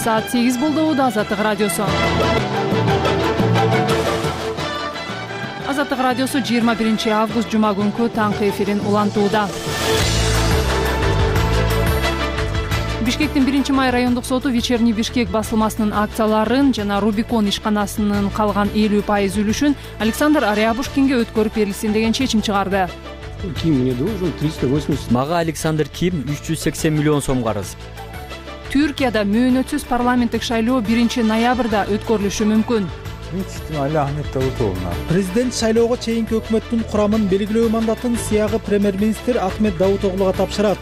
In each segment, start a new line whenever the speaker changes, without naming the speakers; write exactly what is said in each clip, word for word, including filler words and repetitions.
саат сегиз болду. Азаттык радиосу. Азаттык радиосу жыйырма биринчи август жума күнкү таңкы эфирин улантууда. Бишкектин биринчи май райондук соту Вечерний Бишкек басылмасынын акцияларын жана Рубикон ишканасынын калган элүү пайыз үлүшүн Александр Рябушкинге өткөрүп берилсин деген чечим чыгарды.
Ким мне должен триста восемьдесят.
Мага Александр Ким үч жүз сексен миллион сом карыз.
Түркияда мөөнөтсүз парламенттик шайлоо биринчи ноябрда өткөрүлүшү мүмкүн.
Президент шайлоого чейинки өкмөттүн курамын белгилөө мандатын сыягы премьер-министр Ахмет Давутоглуга тапшырат.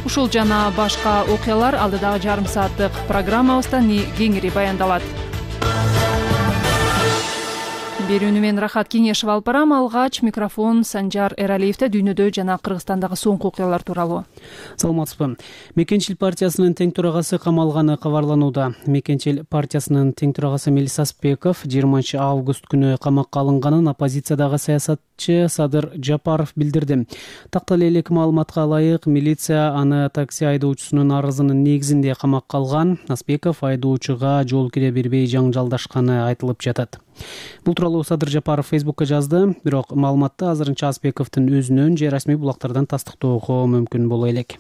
Ушул жана башка окуялар алдыдагы жарым сааттык программабызда кеңири баяндалат. Берүүнү мен Рахат Кеңешев алып барам. Алгач микрофон Санжар Эралиевде дүйнөдө жана Кыргызстандагы соңку окуялар тууралуу.
Саламатсызбы. Мекенчил партиясынын тең төрагасы камалганы кабарланууда. Мекенчил партиясынын тең төрагасы Мелис Аспеков жыйырманчы август күнү камакка алынганын оппозициядагы саясатчы Садыр Жапаров билдирди. Тактал элек маалыматка ылайык, милиция аны такси айдоочусунун арызынын негизинде камакка алган. Аспеков айдоочуга жол кире бербей жаңжалдашканы айтылып жатат. Бул тууралуу Садыр Жапаров Фейсбукка жазды, бирок маалыматты азырынча Аспековдун өзүнөн же расмий булактардан тастыктоого мүмкүн боло элек.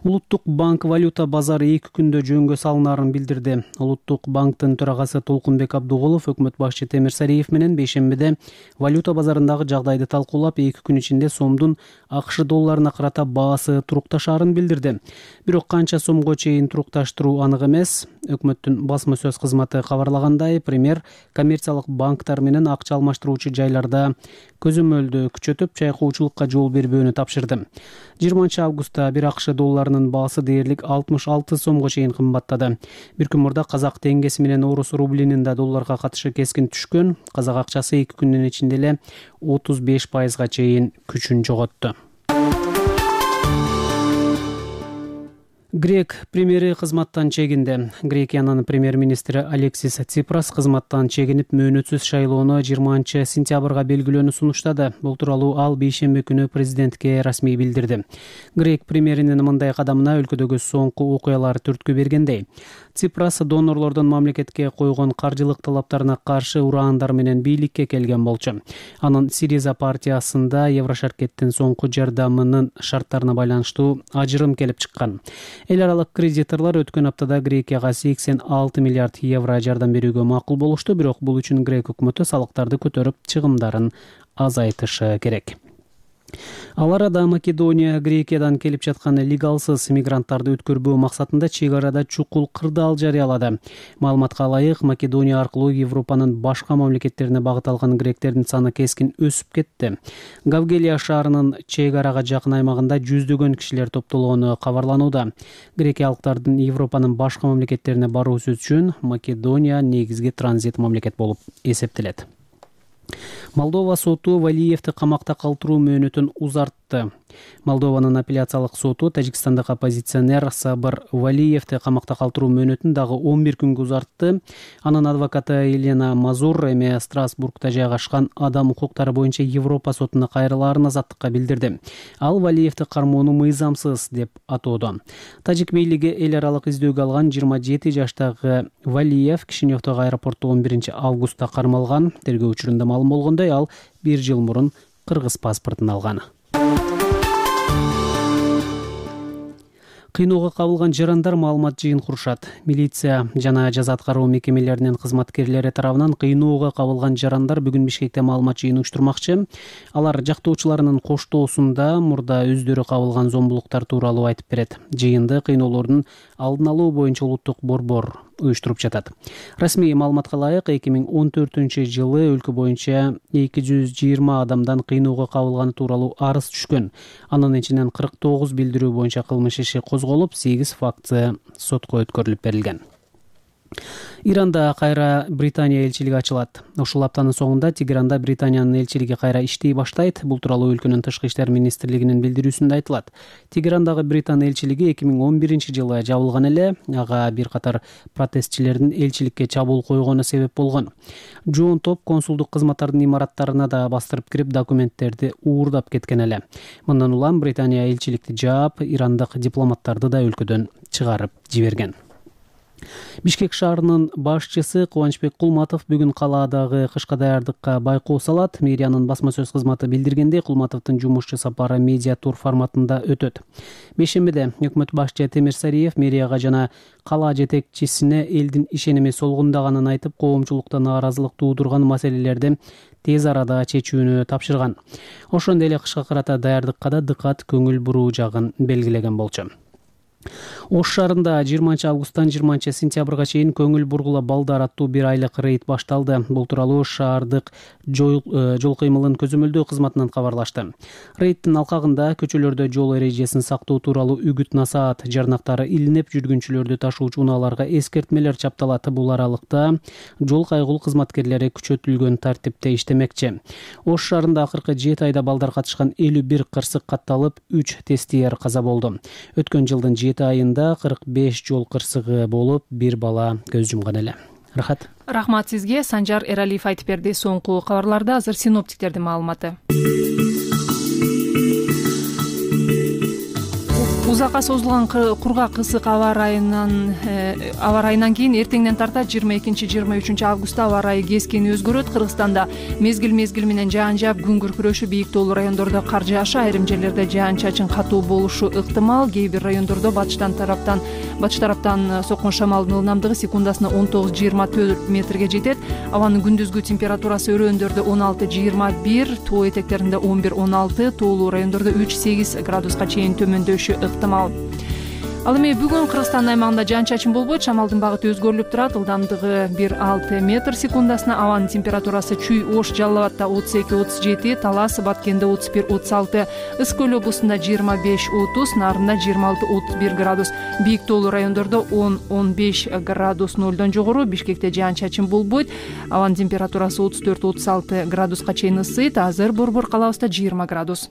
Улуттук банк валюта базары эки күндө жөнгө салынаарын билдирди. Улуттук банктын төрагасы Толкунбек Абдуголов өкмөт башчы Темир Сариев менен бейшембиде валюта базарындагы жагдайды талкуулап, эки күн ичинде сомдун АКШ долларына карата баасы турукташаарын билдирди. Бирок канча сомго чейин турукташтыруу анык эмес. Өкмөттүн басма сөз кызматы кабарлагандай, премьер коммерциялык банктар менен акча алмаштыруучу жайларда көзөмөлдү күчөтүп, чайкоочулукка жол бербөөнү тапшырды. жыйырманчы августта бир АКШ долларынын баасы дээрлик алтымыш алты сомго чейин кымбаттады. Бир күн мурда казак теңгеси менен орус рублинин да долларга катышы кескин түшкөн. Казак акчасы эки күндүн ичинде эле отуз беш пайызга чейин күчүн жоготту. Грек премьери кызматтан чегинди. Грекиянын премьер-министри Алексис Ципрас кызматтан чегинип, мөөнөтсүз шайлоону жыйырманчы сентябрга белгилөөнү сунуштады. Бул тууралуу ал бейшемби күнү президентке расмий билдирди. Грек премьеринин мындай кадамына өлкөдөгү соңку окуялар түрткү бергендей. Ципрас донорлордун мамлекетке койгон каржылык талаптарына каршы ураандар менен бийликке келген болчу. Анын Сириза партиясында Еврошаркеттин соңку жардамынын шарттарына байланыштуу ажырым келип чыккан. Эл аралык кредиторлор өткөн аптада Грекияга сексен алты миллиард евро жардам берүүгө макул болушту, бирок бул үчүн Грек өкмөтү салыктарды көтөрүп, чыгымдарын азайтышы керек. Ал арада Македония Грекиядан келип жаткан легалсыз мигранттарды өткөрбөө максатында чек арада чукул кырдаал жарыялады. Маалыматка ылайык, Македония аркылуу Европанын башка мамлекеттерине багыт алган гректердин саны кескин өсүп кетти. Гавгелия шаарынын чек арага жакын аймагында жүздөгөн кишилер топтолгону кабарланууда. Грекиялыктардын Европанын башка мамлекеттерине баруусу үчүн Македония негизги транзит мамлекет болуп эсептелет. Молдова соту Валиевди камакта калтыруу мөөнөтүн узартты. Молдованын апелляциялык соту Тажикстандык оппозиционер Сабыр Валиевди камакта калтыруу мөөнөтүн дагы он бир күнгө узартты. Анын адвокаты Елена Мазур эми Страсбургда жайгашкан адам укуктары боюнча Европа сотуна кайрылаарын азаттыкка билдирди. Ал Валиевди кармоону мыйзамсыз деп атоодо. Тажик бийлиги эл аралык издөөгө алган жыйырма жети жаштагы Валиев Кишиневдеги аэропортто он биринчи августта кармалган. Тергөө учурунда маалым болгондой, ал бир жыл мурун кыргыз паспортун алган. Кыйноого кабылган жарандар маалымат жыйын курушат. Милиция жана жаза аткаруу мекемелеринин кызматкерлери тарабынан кыйноого кабылган жарандар бүгүн Бишкекте маалымат жыйын уюштурмакчы. Алар жактоочуларынын коштоосунда мурда өздөрү кабылган зомбулуктар тууралуу айтып берет. Жыйынды кыйноолордун алдын алуу боюнча улуттук борбор уюштуруп жатат. Расмий маалыматка ылайык, эки миң он төртүнчү жылы өлкө боюнча эки жүз жыйырма адамдан кыйноого кабылганы тууралуу арыз түшкөн. Анын ичинен кырк тогуз билдирүү боюнча кылмыш иши козголуп, сегиз факты сотко өткөрүлүп берилген. Иранда кайра Британия элчилиги ачылат. Ушул аптанын соңунда Тегеранда Британиянын элчилиги кайра иштей баштайт. Бул тууралуу өлкөнүн тышкы иштер министрлигинин билдирүүсүндө айтылат. Тегерандагы Британ элчилиги эки миң он биринчи жылы жабылган эле. Ага бир катар протестчилердин элчиликке чабуул койгону себеп болгон. Жоон топ консулдук кызматтардын имараттарына да бастырып кирип, документтерди уурдап кеткен эле. Мындан улам Британия элчиликти жаап, ирандык дипломаттарды да өлкөдөн чыгарып жиберген. Бишкек шаарынын башчысы Кубанычбек Кулматов бүгүн калаадагы кышка даярдыкка байкоо салат. Мэриянын басма сөз кызматы билдиргендей, Кулматовдун жумушчу сапары медиа тур форматында өтөт. Бейшембиде өкмөт башчы Темир Сариев мэрияга жана кала жетекчисине элдин ишеними солгундаганын айтып, коомчулукта нааразылык туудурган маселелерди тез арада чечүүнү тапшырган. Ошондой эле кышка карата даярдыкка да дыкат көңүл буруу жагын белгилеген болчу. Ош шаарында жыйырманчы августтан жыйырманчы сентябрга чейин көңүл бургула балдар аттуу бир айлык рейд башталды. Бул тууралуу шаардык жол кыймылын көзөмөлдөө кызматынан кабарлашты. Рейдтин алкагында көчөлөрдө жол эрежесин сактоо тууралуу үгүт-насаат жарнактары илинип, жүргүнчүлөрдү ташуучу унааларга эскертмелер чапталат. Бул аралыкта жол кайгыл кызматкерлери күчөтүлгөн тартипте иштемекчи. Ош шаарында акыркы жети айда балдар катышкан элүү бир кырсык катталып, үч тестиер каза болду. Өткөн жылдын жети айында кырк беш жол кырсыгы болуп, бир бала көз жумган эле. Рахат.
Рахмат сизге. Санжар Эралиев айтып берди. Соңку кабарларда азыр синоптиктердин маалыматы. Узакка созулган кургак ысык аба ырайынан аба ырайынан кийин эртеңден тарта жыйырма экинчи жыйырма үчүнчү августта аба ырайы кескин өзгөрөт. Кыргызстанда мезгил мезгил менен жаан жаап, күн күркүрөшү, бийик тоолуу райондордо кар жаашы, айрым жерлерде жаан-чачын катуу болушу ыктымал. Кээ бир райондордо батыштан тараптан батыш тараптан соккон шамалдын ылдамдыгы секундасына он тогуз жыйырма төрт метрге жетет. Абанын күндүзгү температурасы өрөөндөрдө он алты жыйырма бир, тоо этектеринде он бир он алты, тоолуу райондордо үч сегиз градуска чейин төмөндөшү ыктымал. Ал эми бүгүн Кыргызстан аймагында жаан-чачын болбойт, шамалдын багыты өзгөрүлүп турат. Ылдамдыгы бир алты метр секундасына, абанын температурасы Чүй, Ош, Жалал абадта отуз эки отуз жети, Талас, Баткенде отуз бир отуз алты, Ысык көл облусунда жыйырма беш отуз, Нарында жыйырма алты отуз бир градус, бийик тоолуу райондордо он он беш градус нолдон жогору. Бишкекте жаан-чачын болбойт, абанын температурасы отуз төрт отуз алты градуска чейин ысыйт. Азыр Борбор калабызда жыйырма градус.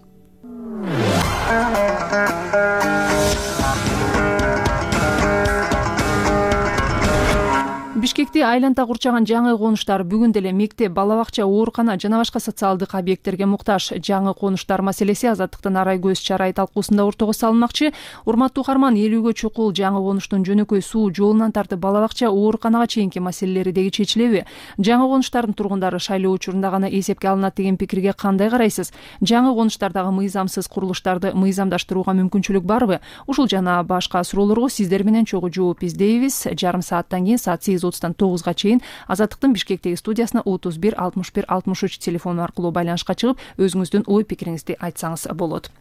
Бишкекти айланта курчаган жаңы конуштар бүгүн деле мектеп, бала бакча, оорукана жана башка социалдык объекттерге муктаж. Жаңы конуштар маселеси Азаттыктын арай көз чарай талкуусунда ортого салынмакчы. Урматтуу угарман, элүүгө чукул жаңы конуштун жөнөкөй суу, жолунан тартып бала бакча, ооруканага чейинки маселелери деги чечилеби? Жаңы конуштардын тургундары шайлоо учурунда гана эсепке алынат деген пикирге кандай карайсыз? Жаңы конуштардагы мыйзамсыз курулуштарды мыйзамдаштырууга мүмкүнчүлүк барбы? Ушул жана башка суроолорго сиздер менен чогуу жооп издейбиз. Жарым сааттан кийин саат сегиз отуздан тогузга чейин Азаттыктын Бишкектеги студиясына отуз бир алтымыш бир алтымыш үч телефону аркылуу байланышка чыгып, өзүңүздүн ой пикириңизди айтсаңыз болот.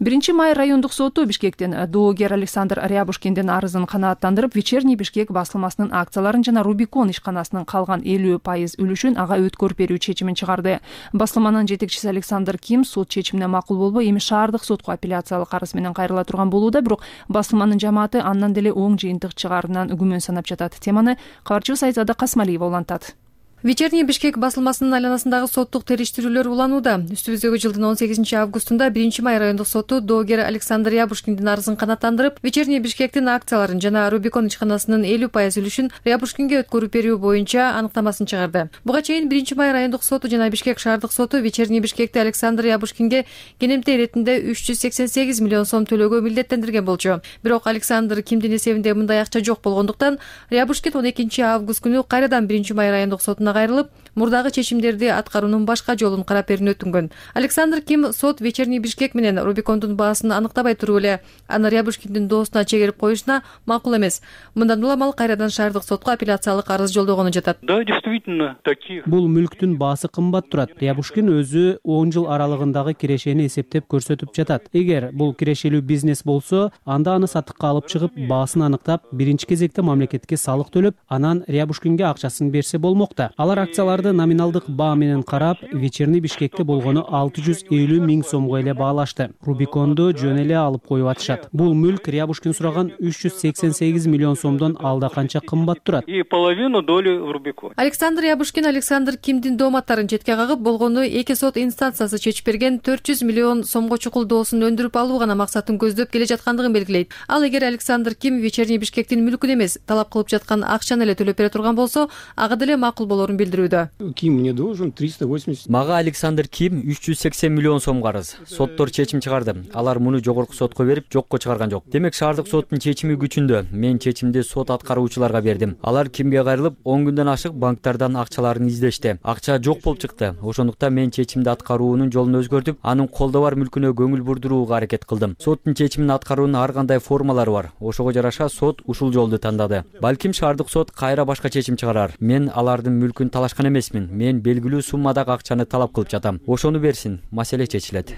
биринчи май райондук соту Бишкектен доогер Александр Рябушкиндин арызын канааттандырып, Вечерний Бишкек басылмасынын акцияларын жана Рубикон ишканасынын калган элүү пайыз үлүшүн ага өткөрүп берүү чечимин чыгарды. Басылманын жетекчиси Александр Ким сот чечимине макул болбой, эми шаардык сотко апелляциялык арыз менен кайрыла турган болууда, бирок басылманын жамааты андан деле оң жыйынтык чыгаарынан күмөн санап жатат. Теманы кабарчыбыз Айзада Касмалиева улантат.
Вечерний Бишкек басылмасынын айланасындагы соттук териштирүүлөр уланууда. Үстүбүздөгү жылдын он сегизинчи августунда биринчи май райондук соту доогер Александр Рябушкиндин арызын канааттандырып, Вечерний Бишкектин акцияларын жана Рубикон ишканасынын элүү пайыз үлүшүн Рябушкинге өткөрүп берүү боюнча аныктамасын чыгарды. Буга чейин биринчи май райондук соту жана Бишкек шаардык соту Вечерний Бишкекти Александр Рябушкинге кенемте иретинде үч жүз сексен сегиз миллион сом төлөөгө милдеттендирген болчу. Бирок Александр Кимдин эсебинде мындай акча жок болгондуктан Рябушкин он экинчи август күнү кайрадан биринчи май райондук сотуна кайрылып, мурдагы чечимдерди аткаруунун башка жолун карап берүүнү өтүнгөн. Александр Ким сот Вечерний Бишкек менен Рубикондун баасын аныктабай туруп эле аны Рябушкиндин доосуна чегерип коюшуна макул эмес. Мындан уламал кайрадан шаардык сотко апелляциялык арыз жолдогону жатат.
Да, действительно, таких.
Бул мүлктүн баасы кымбат турат. Рябушкин өзү он жыл аралыгындагы кирешени эсептеп көрсөтүп жатат. Эгер бул кирешелүү бизнес болсо, анда аны сатыкка алып чыгып, баасын аныктап, биринчи кезекте мамлекетке салык төлөп, анан Рябушкинге акчасын берсе болмокта. Алар акцияларды номиналдык баа менен карап, Вечерний Бишкекте болгону алты жүз элүү миң сомго эле баалашты. Рубиконду жөн эле алып коюп атышат. Бул мүлк Рябушкин сураган үч жүз сексен сегиз миллион сомдон алда канча кымбат турат.
И половину доли в Рубикон.
Александр Рябушкин Александр Кимдин дооматтарын четке кагып, болгону эки сот инстанциясы чечип берген төрт жүз миллион сомго чукул доосун өндүрүп алуу гана максатын көздөп келе жаткандыгын белгилейт. Ал эгер Александр Ким Вечерний Бишкектин мүлкүн эмес, талап кылып жаткан акчаны эле төлөп бере турган болсо, ага деле макул болорун билдирүүдө.
Ким мне должен триста восемьдесят.
Мага Александр Ким үч жүз сексен миллион сом карыз. Соттор чечим чыгарды. Алар муну жогорку сотко берип, жокко чыгарган жок. Демек шаардык соттун чечими күчүндө. Мен чечимди сот аткаруучуларга бердим. Алар Кимге кайрылып, он күндөн ашык банктардан акчаларын издешти. Акча жок болуп чыкты. Ошондуктан мен чечимди аткаруунун жолун өзгөртүп, анын колдо бар мүлкүнө көңүл бурдурууга аракет кылдым. Соттун чечимин аткаруунун ар кандай формалары бар. Ошого жараша сот ушул жолду тандады. Балким шаардык сот кайра башка чечим чыгарар. Мен алардын мүлкүн талашкан эмесмин. Мен белгилүү суммадагы акчаны талап кылып жатам. Ошону берсин, маселе чечилет.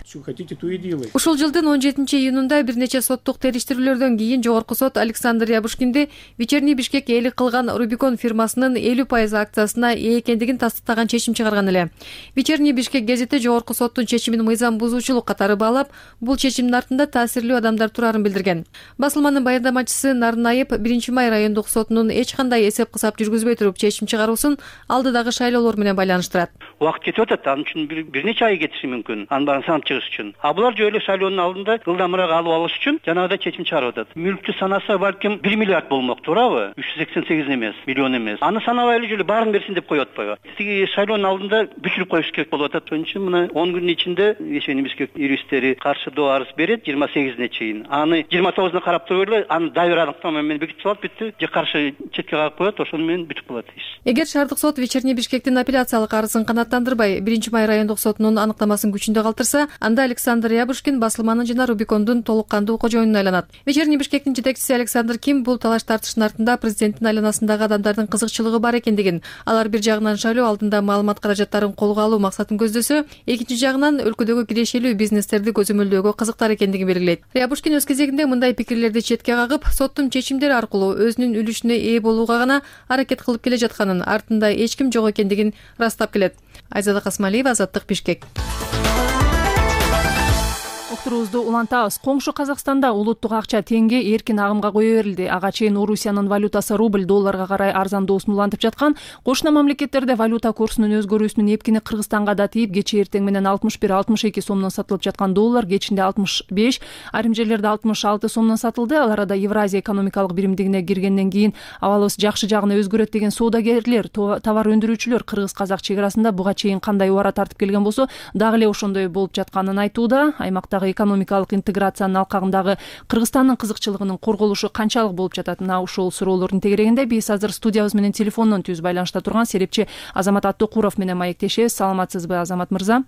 Ушул жылдын он жетинчи июнунда бир нече соттук териштирүүлөрдөн кийин жогорку сот Александр Ябушкинди Вечерний Бишкек ээлик кылган Рубикон фирмасынын элүү пайыз акциясына ээ экендигин тастыктаган чечим чыгарган эле. Вечерний Бишкек гезити жогорку соттун чечимин мыйзам бузуучулук катары баалап, бул чечимдин артында таасирлүү адамдар турарын билдирген. Басылманын баяндамачысы Нарынаев биринчи май райондук сотунун эч кандай эсеп-кысап жүргүзбөй туруп чечим чыгаруусун алдыдагы шайлоолор менен байланыштырат.
Убакыт кетип атат, анын үчүн бир нече ай кетиши мүмкүн. Анын баарын санап чыгыш үчүн. А булар жөн эле шайлоонун алдында ылдамыраак алып алыш үчүн жанагыдай чечим чыгарып атат. Мүлктү санаса балким бир миллиард болмок, туурабы? үч жүз сексен сегиз эмес, миллион эмес. Аны санабай эле жолу баарын берсин деп коюп атпайбы? Тиги шайлоонун алдында бүчүрүп коюш керек болуп атат. Ошон үчүн мына он күндүн ичинде Вечерний Бишкек юристтери каршы доо арыз берет жыйырма сегизине чейин. Аны жыйырма тогузуна карап туруп эле аны дайыр аныктама менен бекитип салат, бүттү. Же каршы четке кагып коет, ошону менен бүтүп калат иш.
Эгер шаардык сот Вечерний Бишкектин апелляциялык арызын канааттандырбай, биринчи май райондук сотунун аныктамасын күчүндө калтырса, анда Александр Ябушкин басылманын жана Рубикондун толук кандуу кожоюнуна айланат. Вечерний Бишкектин жетекчиси Александр Ким бул талаш тартыштын артында президенттин айланасындагы адамдардын кызыкчылыгы бар экендигин, алар бир жагынан шайлоо алдында маалымат каражаттарын колго алуу максатын көздөсө, экинчи жагынан өлкөдөгү кирешелүү бизнестерди көзөмөлдөөгө кызыктар экендигин белгилейт. Ябушкин өз кезегинде мындай пикирлерди четке кагып, соттун чечимдери аркылуу өзүнүн үлүшүнө ээ болууга гана аракет кылып келе жатканын, артында эч ким жок экендигин ырастап келет. Айзада Касмалиева, Азаттык, Бишкек.
Уктуруубузду улантабыз. Коңшу Казакстанда улуттук акча теңге эркин агымга кое берилди. Ага чейин Орусиянын валютасы рубль долларга карай арзандоосун улантып жаткан. Кошуна мамлекеттерде валюта курсунун өзгөрүүсүнүн эпкини Кыргызстанга да тийип, кечээ эртең менен алтымыш бир алтымыш эки сомдон сатылып жаткан доллар кечинде алтымыш беш, айрым жерлерде алтымыш алты сомдон сатылды. Ал арада Евразия экономикалык биримдигине киргенден кийин абалыбыз жакшы жагына өзгөрөт деген соодагерлер, товар өндүрүүчүлөр Кыргыз-Казак чек арасында буга чейин кандай убара тартып келген болсо, дагы эле ошондой болуп жатканын айтууда. Аймактагы экономикалык интеграциянын алкагындагы Кыргызстандын кызыкчылыгынын корголушу канчалык болуп жатат? Мына ушул суроолордун тегерегинде биз азыр студиябыз менен телефондон түз байланышта турган серепчи Азамат Аттыкуров менен маектешебиз. Саламатсызбы, Азамат мырза?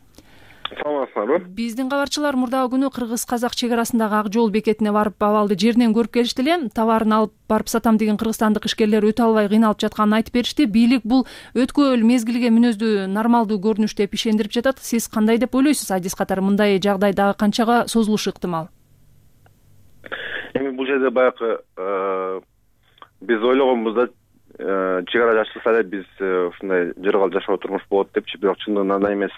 Саламатсызбы?
Биздин кабарчылар мурдагы күнү Кыргыз-Казак чек арасындагы ак жол бекетине барып, абалды жеринен көрүп келишти эле. Товарын алып барып сатам деген кыргызстандык ишкерлер өтө албай кыйналып жатканын айтып беришти. Бийлик бул өткөл мезгилге мүнөздүү нормалдуу көрүнүш деп ишендирип жатат. Сиз кандай деп ойлойсуз? Адис катары мындай жагдай дагы канчага созулушу ыктымал?
Эми бул жерде баягы биз ойлогонбуз да чек ара жашылса эле биз ушундай жыргал жашоо турмуш болот депчи, бирок чындыгында андай эмес.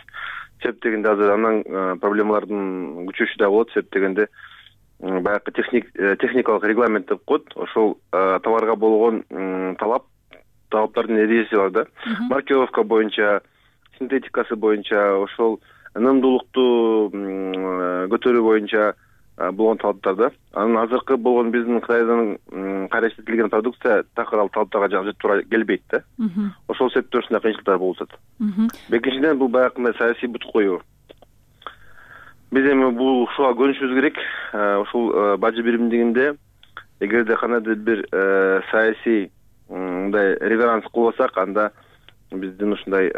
Себеп дегенде азыр андан проблемалардын күчөшү да болот. Себеп дегенде баягы техник техникалык регламент деп коет. Ошол товарга болгон талап талаптардын эрежеси бар да. Маркировка боюнча, синтетикасы боюнча, ошол ынымдуулукту көтөрүү боюнча болгон талаптар да. Анын азыркы болгон биздин Кытайдан караштырылган продукция такыр ал талаптарга жакшы туура келбейт да. Ошол себептен ушундай кыйынчылыктар болуп атат. Экинчиден бул баягы саясий бут коюу. Биз эми бул ушуга көнүшүбүз керек. Ушул бажы биримдигинде эгерде кандайдыр бир саясий мындай реверанс кылбасак, анда биздин ушундай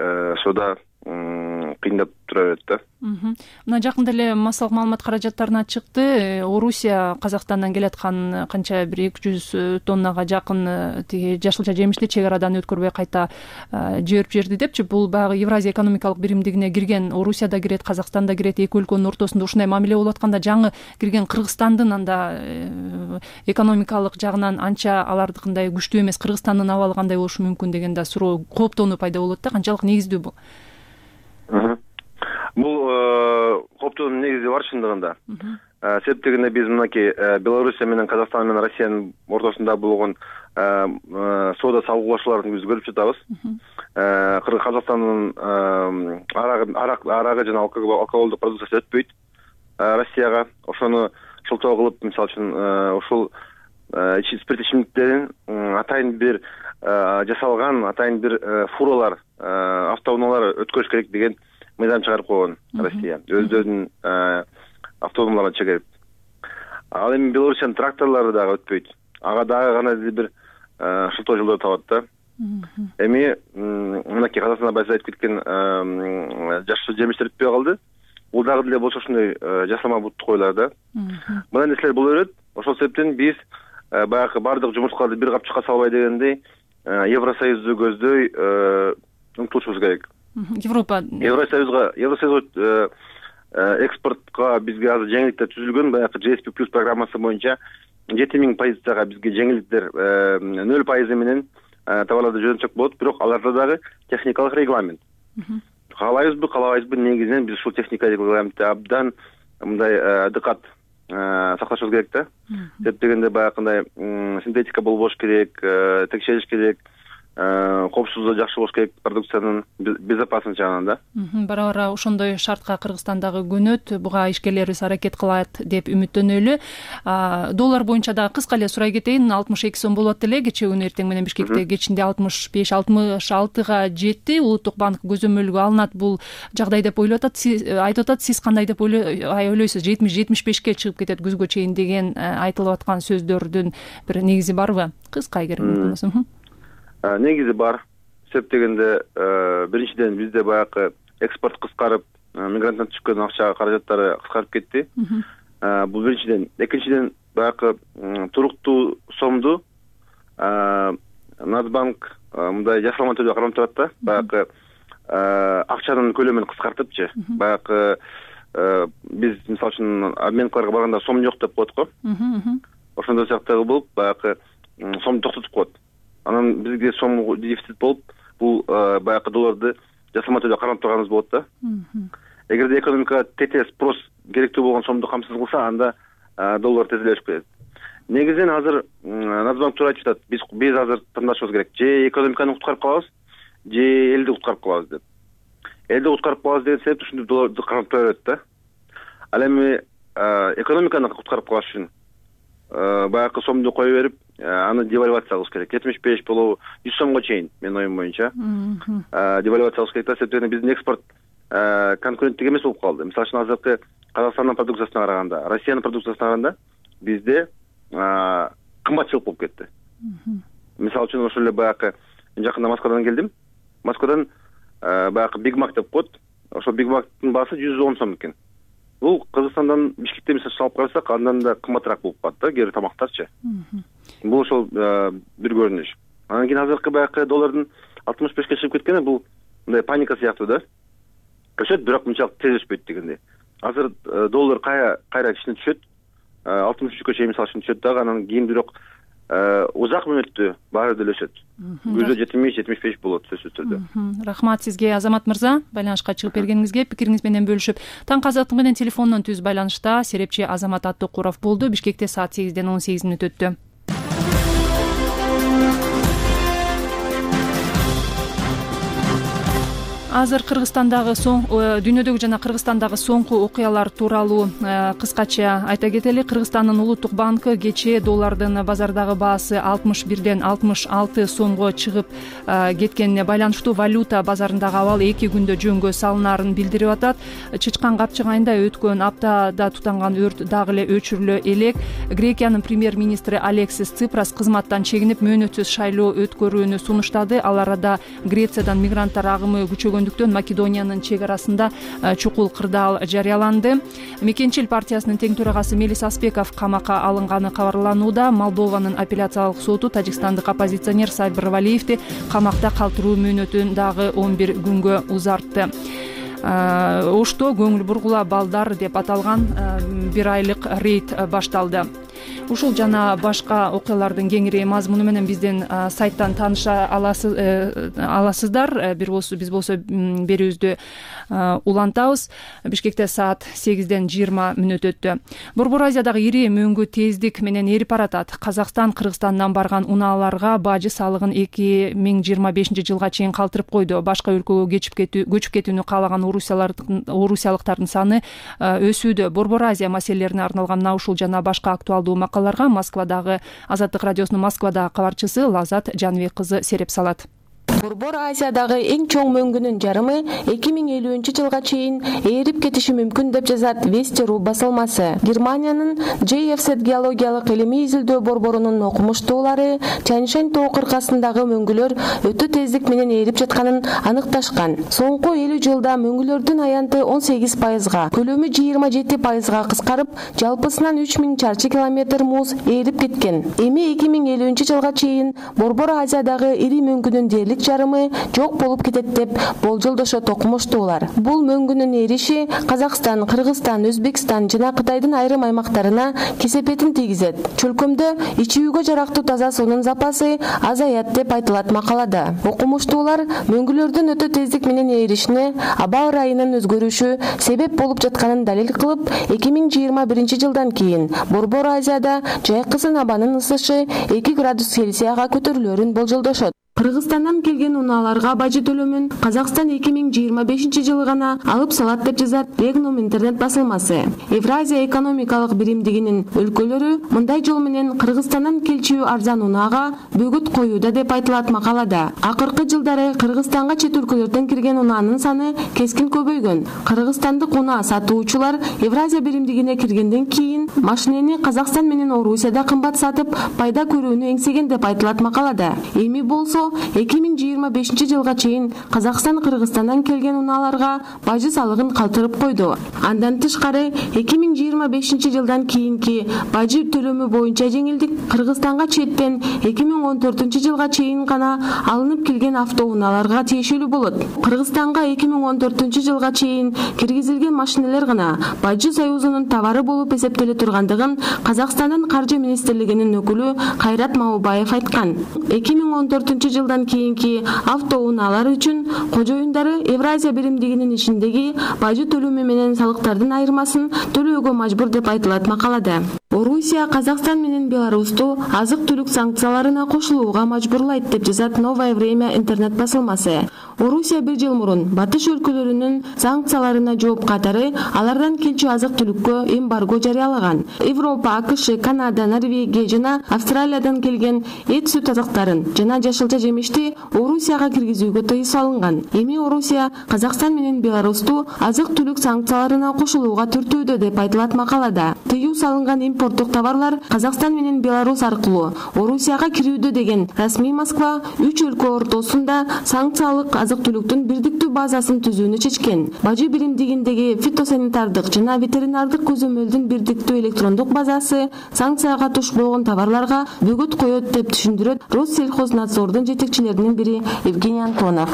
соода кыйындап тура берет да.
Мына жакында эле массалык маалымат каражаттарына чыкты. Орусия Казакстандан келаткан канча бир эки жүз тоннага жакын тиги жашылча жемишти чек арадан өткөрбөй кайта жиберип жиберди депчи. Бул баягы Евразия экономикалык биримдигине кирген Орусия да кирет, Казакстан да кирет. Эки өлкөнүн ортосунда ушундай мамиле болуп атканда жаңы кирген Кыргызстандын анда экономикалык жагынан анча алардыкындай күчтүү эмес, Кыргызстандын абалы кандай болушу мүмкүн деген да суроо, кооптонуу пайда болот да. Канчалык негиздүү бул?
Бул кооптоонун негизи бар чындыгында. Себеп дегенде биз мынакей Белоруссия менен Казакстан менен Россиянын ортосунда болгон соода салгылашууларын биз көрүп жатабыз. Казакстандын арагы жана алкоголдук продукциясы өтпөйт Россияга. Ошону шылтоо кылып, мисалы үчүн ушул спирт ичимдиктерин атайын бир жасалган атайын бир фуралар, автоунаалар өткөрүш керек деген мыйзам чыгарып койгон Россия өздөрүнүн автоунааларын чегерип. Ал эми Белоруссиянын тракторлору дагы өтпөйт. Ага дагы гана бир шылтоо жолдор табат да. Эми мынакей Казакстанда байса айтып кеткен жашыл жемиштер өтпөй калды. Бул дагы деле болсо ушундай жасалма бутту койлар да. Мындай нерселер боло берет. Ошол себептен биз баягы бардык жумурткаларды бир капчыкка салбай дегендей Евросоюзду көздөй умтулушубуз керек.
Европа
Евросоюзга Евросоюзга экспортко бизге азыр жеңилдиктер түзүлгөн. Баягы джи эс пи плюс программасы боюнча жети миң позицияга бизге жеңилдиктер нөл пайыз менен товарларды жөнөтсөк болот, бирок аларда дагы техникалык регламент. Каалайбызбы, каалабайбызбы, негизинен биз ушул техникалык регламентти абдан мындай дыкат сакташыбыз керек да. Деп дегенде баягындай синтетика болбош керек, текшериш керек, коопсуздугу жакшы болуш керек, продукциянын безопасность жагынан да.
Бара-бара ошондой шартка Кыргызстан дагы көнөт, буга ишкерлерибиз аракет кылат деп үмүттөнөлү. Доллар боюнча дагы кыска эле сурай кетейин. алтымыш эки сом болот эле кечээ күнү эртең менен Бишкекте кечинде алтымыш беш алтымыш алтыга жетти. Улуттук банк көзөмөлгө алынат бул жагдай деп ойлоп атат. Айтып атат, сиз кандай деп ойлойсуз? жетимиш жетимиш бешке чыгып кетет күзгө чейин деген айтылып аткан сөздөрдүн бир негизи барбы? Кыска эгер болсо.
Негизи бар. Себеп дегенде биринчиден бизде баягы экспорт кыскарып, мигранттан түшкөн акча каражаттары кыскарып кетти. Бул биринчиден. Экинчиден баягы туруктуу сомду Нацбанк мындай жасалма түрдө кармап турат да. Баягы акчанын көлөмүн кыскартыпчы. Баягы биз мисалы үчүн обменкаларга барганда сом жок деп коет го. Ошондой сыяктагы болуп, баягы сомду токтотуп коет. Анан бизге сом дефицит болуп, бул баягы долларды жасалма түрдө кармап турганыбыз болот да. Эгерде экономикага тете спрос керектүү болгон сомду камсыз кылса, анда доллар тез эле өсүп кетет. Негизинен азыр Нацбанк туура айтып атат, биз биз азыр тандашыбыз керек. Же экономиканы куткарып калабыз, же элди куткарып калабыз деп. Элди куткарып калабыз деген себеп ушундай долларды кармап тура берет да. Ал эми экономиканы куткарып калыш үчүн баягы сомду кое берип, аны девальвация кылыш керек. жетимиш беш болобу, жүз сомго чейин, менин оюм боюнча. Девальвация кылыш керек да, себептен биздин экспорт конкуренттик эмес болуп калды. Мисалы үчүн азыркы Казакстандын продукциясына караганда, Россиянын продукциясына караганда бизде кымбатчылык болуп кетти. Мисалы үчүн ошол эле баягы жакында Москвадан келдим. Москвадан баягы Big Mac деп коет. Ошол Big Mac'тын баасы жүз он сом экен. Бул Кыргызстандан Бишкекте мисалы алып карасак, андан да кымбатыраак болуп калат да, кээ бир тамактарчы. Бул ошол бир көрүнүш. Анан кийин азыркы баягы доллардын алтымыш бешке чыгып кеткени бул мындай паника сыяктуу да. Өсөт, бирок мынчалык тез өспөйт дегендей. Азыр доллар кайра кайра кичине түшөт. алтымыш үчкө чейин мисалы үчүн түшөт дагы, анан кийин бирок узак мөөнөттө баары деле өсөт. Күздө жетимиш жетимиш беш болот сөзсүз түрдө.
Рахмат сизге, Азамат мырза, байланышка чыгып бергениңизге, пикириңиз менен бөлүшүп. Таң азаттык менен телефондон түз байланышта серепчи Азамат Аттыкуров болду. Бишкекте саат сегизден он сегиз мүнөт өттү. Азыр Кыргызстандагы соң дүйнөдөгү жана Кыргызстандагы соңку окуялар тууралуу кыскача айта кетели. Кыргызстандын улуттук банкы кечээ доллардын базардагы баасы алтымыш бирден алтымыш алты сомго чыгып кеткенине байланыштуу валюта базарындагы абал эки күндө жөнгө салынаарын билдирип атат. Чычкан капчык айында өткөн аптада тутанган өрт дагы эле өчүрүлө элек. Грекиянын премьер-министри Алексис Ципрас кызматтан чегинип мөөнөтсүз шайлоо өткөрүүнү сунуштады. Ал арада Грециядан мигранттар агымы күчөгөн Македониянын чек арасында чукул кырдаал жарыяланды. Мекенчил партиясынын тең төрагасы Мелис Аспеков камакка алынганы кабарланууда. Молдованын апелляциялык соту тажикстандык оппозиционер Сайбыр Валиевди камакта калтыруу мөөнөтүн дагы он бир күнгө узартты. Ошто көңүл бургула балдар деп аталган бир айлык рейд башталды. Ушул жана башка окуялардын кеңири мазмуну менен биздин сайттан тааныша аласыздар. Бир болсо биз болсо берүүбүздү улантабыз. Бишкекте саат сегизден жыйырма мүнөт өттү. Борбор Азиядагы ири мөңгү тездик менен эрип баратат. Казакстан Кыргызстандан барган унааларга бажы салыгын эки миң жыйырма бешинчи жылга чейин калтырып койду. Башка өлкөгө көчүп кетүү көчүп кетүүнү каалаган орусиялыктардын саны өсүүдө. Борбор Азия маселелерине арналган мына ушул жана башка актуалдуу тууралуу макалаларга Москвадагы Азаттык радиосунун Москвадагы кабарчысы Лазат Жаныбек кызы сереп салат.
Борбор Азиядагы эң чоң мөңгүнүн жарымы эки миң элүүнчү жылга чейин ээрип кетиши мүмкүн деп жазат Вести.ру басылмасы. Германиянын джей эф зет геологиялык илимий изилдөө борборунун окумуштуулары Чаньшань тоо кыркасындагы мөңгүлөр өтө тездик менен ээрип жатканын аныкташкан. Соңку элүү жылда мөңгүлөрдүн аянты он сегиз пайызга, көлөмү жыйырма жети пайызга кыскарып, жалпысынан үч миң чарчы километр муз ээрип кеткен. Эми эки миң элүүнчү жылга чейин Борбор Азиядагы ири мөңгүнүн дээрлик жарымы жок болуп кетет деп болжолдошот окумуштуулар. Бул мөңгүнүн эриши Казакстан, Кыргызстан, Өзбекстан жана Кытайдын айрым аймактарына кесепетин тийгизет. Чөлкөмдө ичүүгө жарактуу таза суунун запасы азаят деп айтылат макалада. Окумуштуулар мөңгүлөрдүн өтө тездик менен ээришине аба ырайынын өзгөрүшү себеп болуп жатканын далил кылып, эки миң жыйырма биринчи жылдан кийин Борбор Азияда жайкысын абанын ысышы эки градус Цельсияга көтөрүлөрүн болжолдошот. Кыргызстандан келген унааларга бажы төлөмүн Казакстан эки миң жыйырма бешинчи жылы гана алып салат деп жазат Регнум интернет басылмасы. Евразия экономикалык биримдигинин өлкөлөрү мындай жол менен Кыргызстандан келчү арзан унаага бөгөт коюуда деп айтылат макалада. Акыркы жылдары Кыргызстанга чет өлкөлөрдөн кирген унаанын саны кескин көбөйгөн. Кыргызстандык унаа сатуучулар Евразия биримдигине киргенден кийин машинени Казакстан менен Орусияда кымбат сатып, пайда көрүүнү эңсеген деп айтылат макалада. Эми болсо эки миң жыйырма бешинчи жылга чейин Казакстан Кыргызстандан келген унааларга бажы салыгын калтырып койду. Андан тышкары эки миң жыйырма бешинчи жылдан кийинки бажы төлөмү боюнча жеңилдик Кыргызстанга четтен эки миң он төртүнчү жылга чейин гана алынып келген автоунааларга тиешелүү болот. Кыргызстанга эки миң он төртүнчү жылга чейин киргизилген машинелер гана Бажы союзунун товары болуп эсептеле тургандыгын Казакстандын каржы министрлигинин өкүлү Кайрат Маубаев айткан. эки миң он төртүнчү жылдан кийинки автоунаалар үчүн кожоюндары Евразия биримдигинин ичиндеги бажы төлөмү менен салыктардын айырмасын төлөөгө мажбур деп айтылат макалада. Орусия Казакстан менен Беларусту азык-түлүк санкцияларына кошулууга мажбурлайт деп жазат Новое время интернет басылмасы. Орусия бир жыл мурун батыш өлкөлөрүнүн санкцияларына жооп катары алардан келчү азык-түлүккө эмбарго жарыялаган. Европа, АКШ, Канада, Норвегия жана Австралиядан келген эт сүт азыктарын жана жашылча жемишти Орусияга киргизүүгө тыюу салынган. Эми Орусия Казакстан менен Беларусту азык-түлүк санкцияларына кошулууга түртүүдө деп айтылат макалада. Тыюу салынган импорттук товарлар Казакстан менен Беларус аркылуу Орусияга кирүүдө деген расмий Москва үч өлкө ортосунда санкциялык азык-түлүктүн бирдиктүү базасын түзүүнү чечкен. Бажы биримдигиндеги фитосанитардык жана ветеринардык көзөмөлдүн бирдиктүү электрондук базасы санкцияга туш болгон товарларга бөгөт коет деп түшүндүрөт Россельхознадзордун жетекчилеринин бири Евгений Антонов.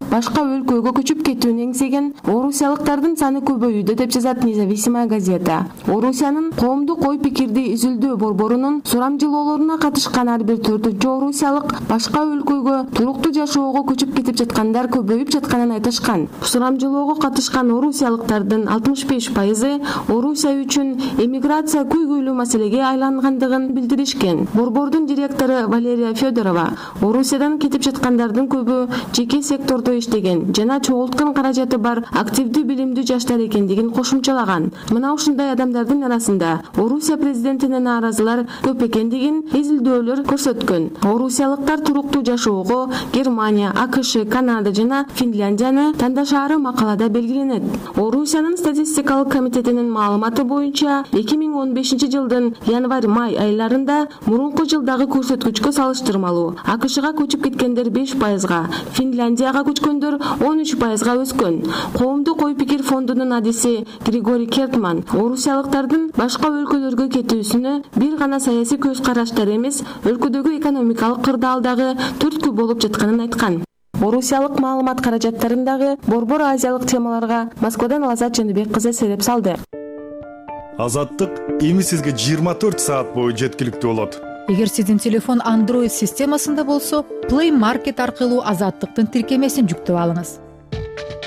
Башка өлкөгө көчүп кетүүнү эңсеген орусиялыктардын саны көбөйүүдө деп жазат Независимая газета. Орусиянын коомдук ой пикирди изилдөө борборунун сурамжылоолоруна катышкан ар бир төртүнчү орусиялык башка өлкөгө туруктуу жашоого көчүп кетип жаткандар көбөйүп жатканын айтышкан. Сурамжылоого катышкан орусиялыктардын алтымыш беш пайызы Орусия үчүн эмиграция көйгөйлүү маселеге айлангандыгын билдиришкен. Борбордун директору Валерия Федорова Орусиядан кетип жаткандардын көбү жеке сектордо иштеген жана чогулткан каражаты бар активдүү билимдүү жаштар экендигин кошумчалаган. Мына ушундай адамдардын арасында Орусия президентине нааразылар көп экендигин изилдөөлөр көрсөткөн. Орусиялыктар туруктуу жашоого Германия, АКШ, Канада жана Финляндияны тандашаары макалада белгиленет. Орусиянын статистикалык комитетинин маалыматы боюнча эки миң он бешинчи жылдын январь-май айларында мурунку жылдагы көрсөткүчкө салыштырмалуу АКШга көчүп кеткендер беш пайызга, Финляндияга көчкөндөр он үч пайызга өскөн. Коомдук ой пикир фондунун адиси Григорий Кертман орусиялыктардын башка өлкөлөргө кетүүсүнө бир гана саясий көз караштар эмес, өлкөдөгү экономикалык кырдаалдагы түрткү болуп жатканын айткан. Орусиялык маалымат каражаттарындагы борбор азиялык темаларга Москвадан Лазат Жаныбек кызы сереп салды.
Азаттык эми сизге жыйырма төрт саат бою жеткиликтүү болот.
Эгер сиздин телефон Android системасында болсо, Play Market аркылуу Азаттыктын тиркемесин жүктөп алыңыз.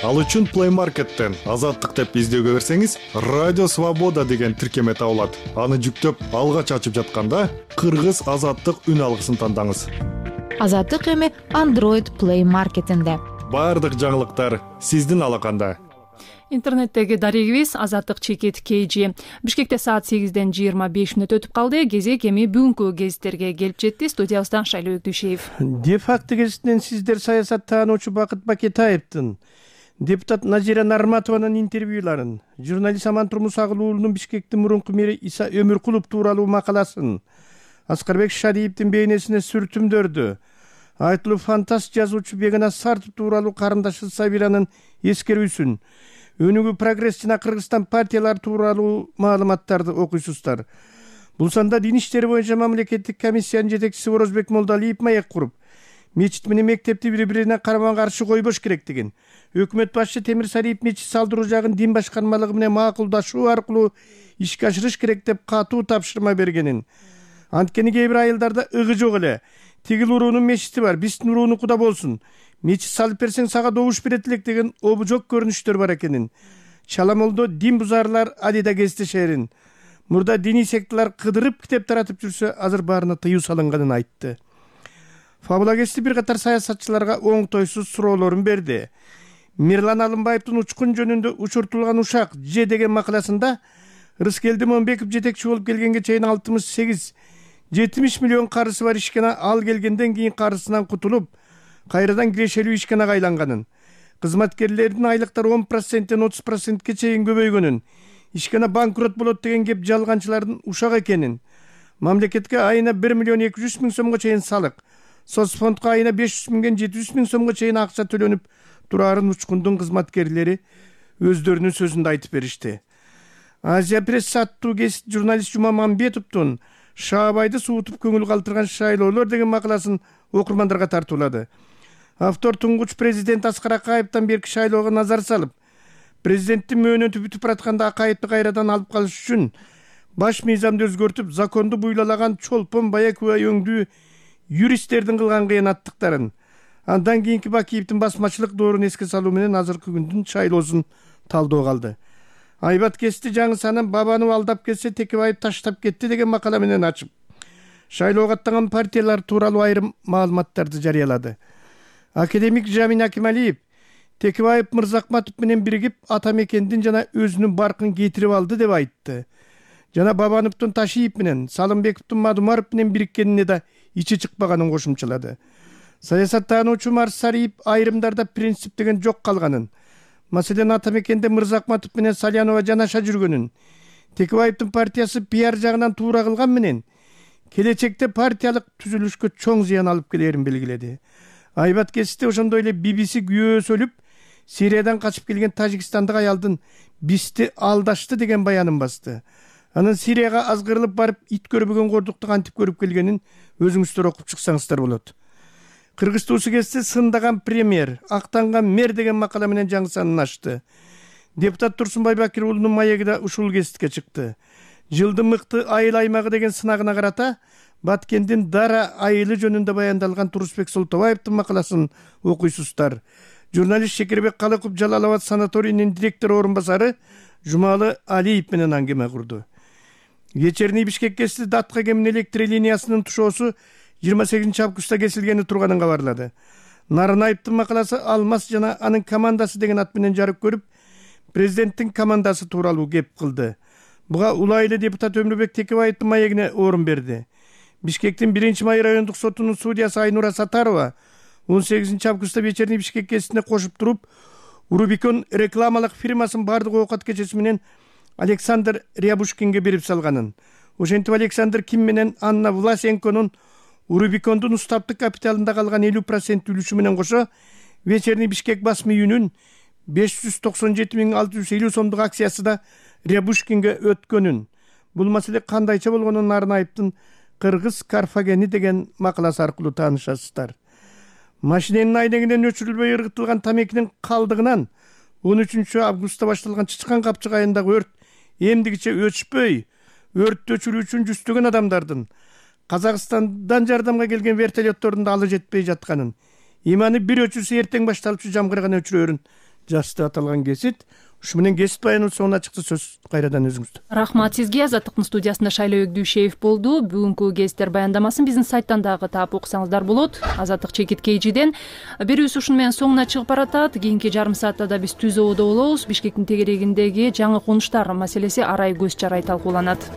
Ал үчүн Play Market'тен Азаттык деп издөөгө берсеңиз, Радио Свобода деген тиркеме табылат. Аны жүктөп, алгач ачып жатканда Кыргыз Азаттык үн алгысын тандаңыз.
Азаттык эми Android Play Market'инде.
Бардык жаңылыктар сиздин алаканда.
интернеттеги дарегибиз Азаттык чекит kg. Бишкекте саат сегизден жыйырма беш мүнөт өтүп калды. Кезек эми бүгүнкү гезиттерге келип жетти. Студиябыздан Шайлоо Өктүшеев.
Де факто гезитинен сиздер саясаттаануучу Бакыт Бакетаевдин, депутат Назира Нарматованын интервьюларын, журналист Аман Турмусагул уулунун Бишкектин мурунку мэри Иса Өмүркулов тууралуу макаласын, Аскарбек Шариевдин бейнесине сүртүмдөрдү, айтылуу фантаст жазуучу Бегана Сартов тууралуу карындашы Сабиранын эскерүүсүн, өнүгүү прогресс жана Кыргызстан партиялары тууралуу маалыматтарды окуйсуздар. Бул санда дин иштери боюнча мамлекеттик комиссиянын жетекчиси Орозбек Молдалиев маек куруп, мечит менен мектепти бири-бирине карама каршы койбош керектигин, өкмөт башчы Темир Сариев мечит салдыруу жагын дин башкармалыгы менен макулдашуу аркылуу ишке ашырыш керек деп катуу тапшырма бергенин, анткени кээ бир айылдарда ыгы жок эле, тигил уруунун мечити бар, биздин уруунуку да болсун, мечит салып берсең сага добуш берет элек деген обужок көрүнүштөр бар экенин, чаламолдо дин бузарлар адида кездешерин, мурда диний секталар кыдырып китеп таратып жүрсө азыр баарына тыюу салынганын айтты. Фабулагести бир катар саясатчыларга оңтойсуз суроолорун берди. Мирлан Алымбаевдин учкун жөнүндө учуртулган ушак же деген макаласында Рыскелди Момбеков жетекчи болуп келгенге чейин алтымыш сегиз жетимиш миллион карысы бар ишкана ал келгенден кийин карысынан кутулуп, кайрадан кирешелүү ишканага айланганын, кызматкерлердин айлыктары он проценттен отуз процентке чейин көбөйгөнүн, ишкана банкрот болот деген кеп жалганчылардын ушак экенин, мамлекетке айына бир миллион эки жүз миң сомго чейин салык, соцфондко айына беш жүз миңден жети жүз миң сомго чейин акча төлөнүп турарын учкундун кызматкерлери өздөрүнүн сөзүндө айтып беришти. Азия пресс аттуу гезит журналист Жума Мамбетовдун Шаабайды суутуп көңүл калтырган шайлоолор деген макаласын окурмандарга тартуулады. Автор туңгуч президент Аскар Акаевден берки шайлоого назар салып, президенттин мөөнөтү бүтүп баратканда Акаевди кайрадан алып калыш үчүн баш мыйзамды өзгөртүп, законду буйлаган чолпон бая күбө өңдүү юристтердин кылган кыянаттыктарын, андан кийинки Бакиевдин басмачылык доорун эске салуу менен азыркы күндүн шайлоосун талдоого алды. Айбат Кести жаңы санын бабаны алдап кетсе Текебаев таштап кетти деген макала менен ачып, шайлоого аттанган партиялар тууралуу айрым маалыматтарды жарыялады. Академик Жамин Акималиев Текебаев Мырзакматов менен биригип ата мекендин жана өзүнүн баркын кетирип алды деп айтты. Жана Бабановдун Ташиев менен, Салымбековдун Мадумаров менен бириккенине да ичи чыкпаганын кошумчалады. Саясаттаануучу Марсариев айрымдарда принцип деген жок калганын, маселен ата мекенде Мырзакматов менен Салянова жанаша жүргөнүн, Текебаевдин партиясы пиар жагынан туура кылган менен келечекте партиялык түзүлүшкө чоң зыян алып келерин белгиледи. Айбат Кести ошондой эле би би си күйөөсү өлүп, Сириядан качып келген тажикстандык аялдын бизди алдашты деген баянын басты. Анын Сирияга азгырылып барып ит көрбөгөн кордукту кантип көрүп келгенин өзүңүздөр окуп чыксаңыздар болот. Кыргыз туусу кезде сындаган премьер, актанган мэр деген макала менен жаңы санын ачты. Депутат Турсунбай Бакир уулунун маеги да ушул гезитке чыкты. Жылдын мыкты айыл аймагы деген сынагына карата Баткендин Дара айылы жөнүндө баяндалган Турусбек Солтобаевдин макаласын окуйсуздар. Журналист Шекербек Калыков Жалал Абад санаторийинин директору орун басары Жумалы Алиев менен аңгеме курду. Вечерний Бишкек гезити Датка кемин электр линиясынын тушоосу жыйырма сегизинчи августта кесилгени турганын кабарлады. Нарынаевдин макаласы Алмаз жана анын командасы деген ат менен жарык көрүп, президенттин командасы тууралуу кеп кылды. Буга улайлы депутат Өмүрбек Текебаевдин маегине орун берди. Бишкектин биринчи май райондук сотунун судьясы Айнура Сатарова он сегизинчи августта Вечерний Бишкек гезитине кошуп туруп, Рубикон рекламалык фирмасын бардык оокат кечеси менен Александр Рябушкинге берип салганын. Ошентип Александр Ким менен Анна Власенконун Рубикондун устаптык капиталында калган элүү процент үлүшү менен кошо Вечерний Бишкек басма үйүнүн беш жүз токсон жети миң алты жүз элүү сомдук акциясы да Рябушкинге өткөнүн. Бул маселе кандайча болгонун Нарынаевдин Кыргыз Карфагени деген макаласы аркылуу таанышасыздар. Машиненин айнегинен өчүрүлбөй ыргытылган тамекинин калдыгынан он үчүнчү августта башталган Чычкан Капчык айылындагы өрт эмдигиче өчпөй, өрттү өчүрүү үчүн жүздөгөн адамдардын Казакстандан жардамга келген вертолеттордун да алы жетпей жатканын, иманы бир өчүрсө эртең башталчу жамгырган өчүрөрүн жазды аталган кесит. Ушу менен кесип баяныбыз соңуна чыкты. Сөз кайрадан өзүңүздө.
Рахмат сизге. Азаттыктын студиясында Шайлоо Өгдүшеев болду. Бүгүнкү гезиттер баяндамасын биздин сайттан дагы таап окусаңыздар болот. Азаттык чекит кейжиден. Берүүбүз ушуну менен соңуна чыгып баратат. Кийинки жарым саатта да биз Түз Ободо болобуз. Бишкектин тегерегиндеги жаңы конуштар маселеси арай көз жарай талкууланат.